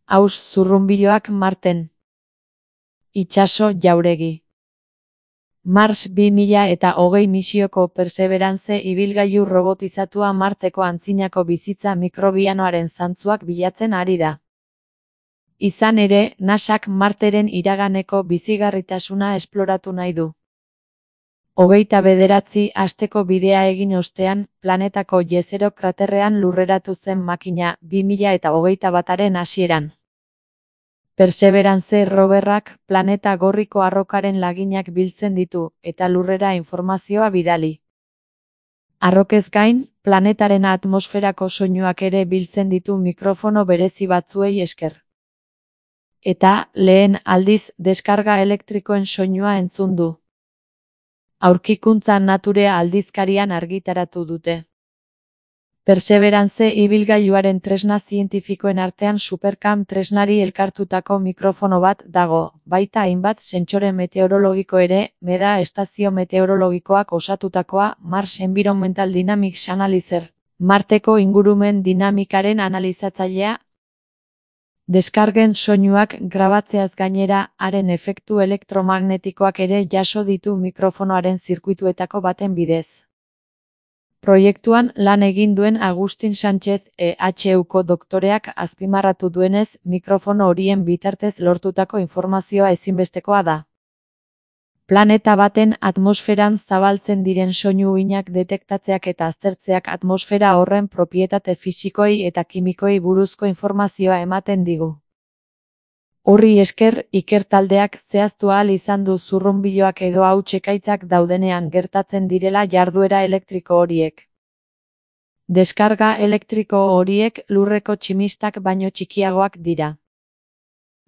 Aus zurrunbiloak Marten. Itsaso jauregi. Mars 2020 misioko Perseverance ibilgailu robotizatua Marteko antzinako bizitza mikrobianoaren zantzuak bilatzen ari da. Izan ere, NASAk Marteren iraganeko bizigarritasuna esploratu nahi du. 29 asteko bidea egin ostean, planetako Jezero kraterrean lurreratu zen makina 2021aren hasieran. Perseverance roverrak planeta gorriko arrokaren laginak biltzen ditu, eta lurrera informazioa bidali. Arrokez gain, planetaren atmosferako soinuak ere biltzen ditu mikrofono berezi batzuei esker. Eta, lehen aldiz, deskarga elektrikoen soinua entzun du. Aurkikuntza Nature aldizkarian argitaratu dute. Perseverance ibilgailuaren tresna zientifikoen artean Supercam tresnari elkartutako mikrofono bat dago, baita hainbat sentsore meteorologiko ere, MEDA estazio meteorologikoak osatutakoa Mars Environmental Dynamics Analyzer, Marteko ingurumen dinamikaren analizatzailea. Deskargen soinuak grabatzeaz gainera, haren efektu elektromagnetikoak ere jaso ditu mikrofonoaren zirkuituetako baten bidez. Proiektuan lan egin duen Agustin Sánchez EHUko doktoreak azpimarratu duenez, mikrofono horien bitartez lortutako informazioa ezinbestekoa da. Planeta baten atmosferan zabaltzen diren soinu uhinak detektatzeak eta aztertzeak atmosfera horren propietate fisikoei eta kimikoei buruzko informazioa ematen digu. Horri esker, ikertaldeak zehaztu ahal izan du zurrunbiloak edo hauts-ekaitzak daudenean gertatzen direla jarduera elektriko horiek. Deskarga elektriko horiek lurreko tximistak baino txikiagoak dira.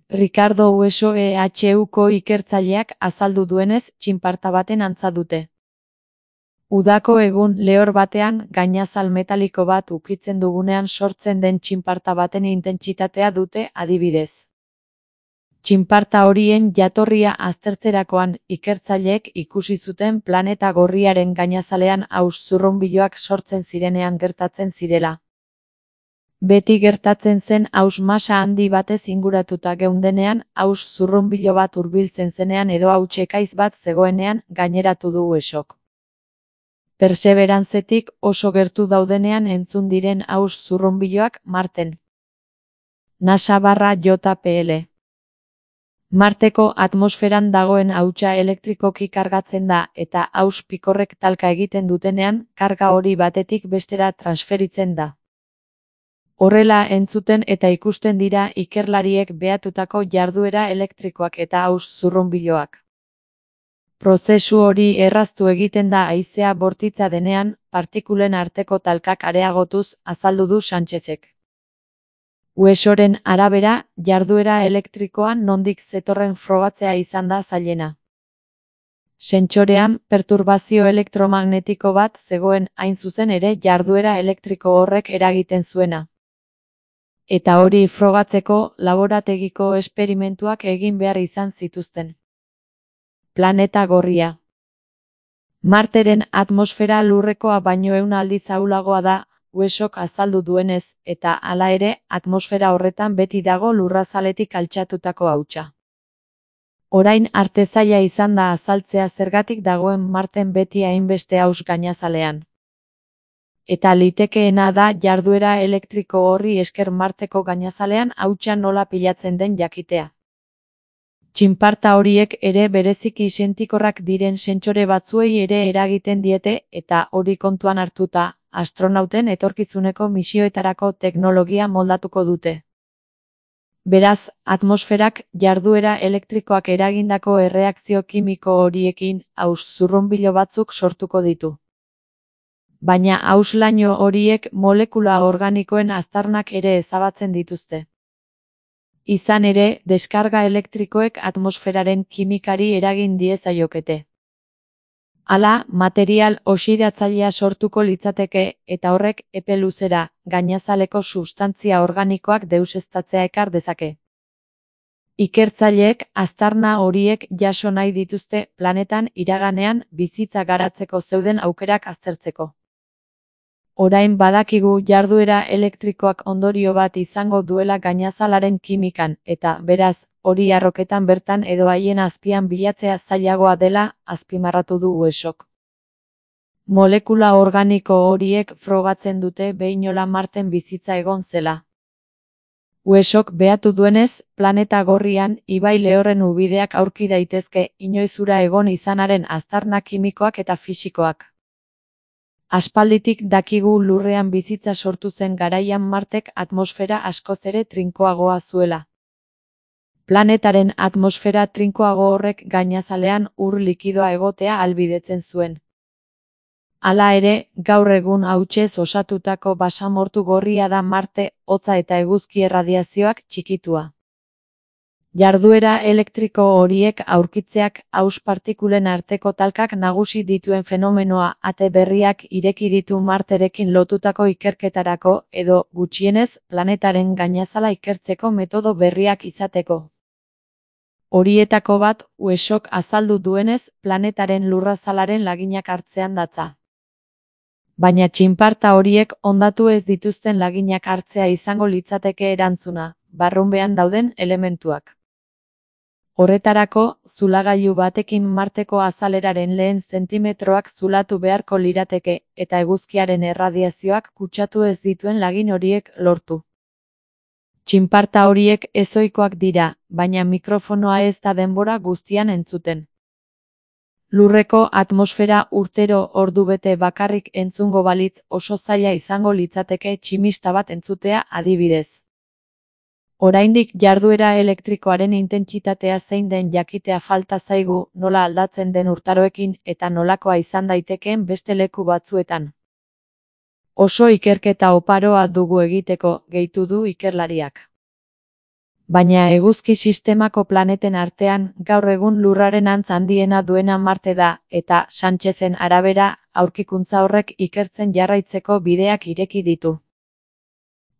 Ricardo Hueso EHUko ikertzaileak azaldu duenez, txinparta baten antza dute. Udako egun lehor batean, gainazal metaliko bat ukitzen dugunean sortzen den txinparta baten intentsitatea dute adibidez. Txinparta horien jatorria aztertzerakoan, ikertzaileek ikusi zuten planeta gorriaren gainazalean aus zurrunbiloak sortzen zirenean gertatzen zirela. Beti gertatzen zen aus masa handi batez inguratuta geundenean, aus zurrunbilo bat hurbiltzen zenean edo hauts-ekaiz bat zegoenean, gaineratu du Huesok. Perseverancetik oso gertu daudenean entzun diren aus zurrunbiloak Marten. NASA/JPL. Marteko atmosferan dagoen hautsa elektrikoki kargatzen da, eta aus pikorrek talka egiten dutenean, karga hori batetik bestera transferitzen da. Horrela entzuten eta ikusten dira ikerlariek behatutako jarduera elektrikoak eta aus zurrunbiloak. Prozesu hori erraztu egiten da haizea bortitza denean, partikulen arteko talkak areagotuz, azaldu du Sánchezek. Huesoren arabera, jarduera elektrikoan nondik zetorren frogatzea izan da zailena. Sentsorean, perturbazio elektromagnetiko bat zegoen hain zuzen ere jarduera elektriko horrek eragiten zuena. Eta hori frogatzeko, laborategiko esperimentuak egin behar izan zituzten. Planeta gorria. Marteren atmosfera lurrekoa baino 100 aldiz ahulagoa da, Huesok azaldu duenez, eta hala ere, atmosfera horretan beti dago lurrazaletik altxatutako hautsa. Orain arte zaila izan da azaltzea zergatik dagoen Marten beti hainbeste aus gainazalean. Eta litekeena da jarduera elektriko horri esker Marteko gainazalean hautsa nola pilatzen den jakitea. Txinparta horiek ere bereziki sentikorrak diren sentsore batzuei ere eragiten diete eta hori kontuan hartuta, astronauten etorkizuneko misioetarako teknologia moldatuko dute. Beraz, atmosferak jarduera elektrikoak eragindako erreakzio kimiko horiekin aus zurrunbilo batzuk sortuko ditu. Baina auslaino horiek molekula organikoen aztarnak ere ezabatzen dituzte. Izan ere, deskarga elektrikoek atmosferaren kimikari eragin diezaiokete. Hala, material oxidatzailea sortuko litzateke eta horrek epe luzera, gainazaleko substantzia organikoak deuseztatzea ekar dezake. Ikertzaileek aztarna horiek jaso nahi dituzte planetan iraganean bizitza garatzeko zeuden aukerak aztertzeko. Orain badakigu jarduera elektrikoak ondorio bat izango duela gainazalaren kimikan, eta, beraz, hori arroketan bertan edo haien azpian bilatzea zailagoa dela, azpimarratu du Weshok. Molekula organiko horiek frogatzen dute behinola Marten bizitza egon zela. Weshok behatu duenez, planeta gorrian, ibai lehorren ubideak aurki daitezke, inoiz ura egon izanaren aztarna kimikoak eta fisikoak. Aspalditik dakigu Lurrean bizitza sortu zen garaian Martek atmosfera askoz ere trinkoagoa zuela. Planetaren atmosfera trinkoago horrek gainazalean ur likidoa egotea ahalbidetzen zuen. Hala ere, gaur egun hautsez osatutako basamortu gorria da Marte, hotza eta eguzki erradiazioak txikitua. Jarduera elektriko horiek aurkitzeak haus partikulen arteko talkak nagusi dituen fenomenoa ate berriak ireki ditu Marterekin lotutako ikerketarako edo, gutxienez, planetaren gainazala ikertzeko metodo berriak izateko. Horietako bat, Weshok azaldu duenez, planetaren lurrazalaren laginak hartzean datza. Baina txinparta horiek hondatu ez dituzten laginak hartzea izango litzateke erantzuna, barrunbean dauden elementuak. Horretarako, zulagailu batekin Marteko azaleraren lehen zentimetroak zulatu beharko lirateke, eta eguzkiaren erradiazioak kutsatu ez dituen lagin horiek lortu. Txinparta horiek ezohikoak dira, baina mikrofonoa ez da denbora guztian entzuten. Lurreko atmosfera urtero ordubete bakarrik entzungo balitz oso zaila izango litzateke tximista bat entzutea adibidez. Oraindik jarduera elektrikoaren intentsitatea zein den jakitea falta zaigu, nola aldatzen den urtaroekin eta nolakoa izan daitekeen beste leku batzuetan. Oso ikerketa oparoa dugu egiteko, gehitu du ikerlariak. Baina eguzki sistemako planeten artean, gaur egun Lurraren antz handiena duena Marte da, eta, Sanchezen arabera, aurkikuntza horrek ikertzen jarraitzeko bideak ireki ditu.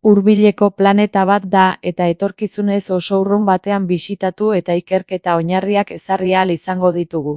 Hurbileko planeta bat da eta etorkizunez oso urrun batean bisitatu eta ikerketa oinarriak ezarri ahal izango ditugu.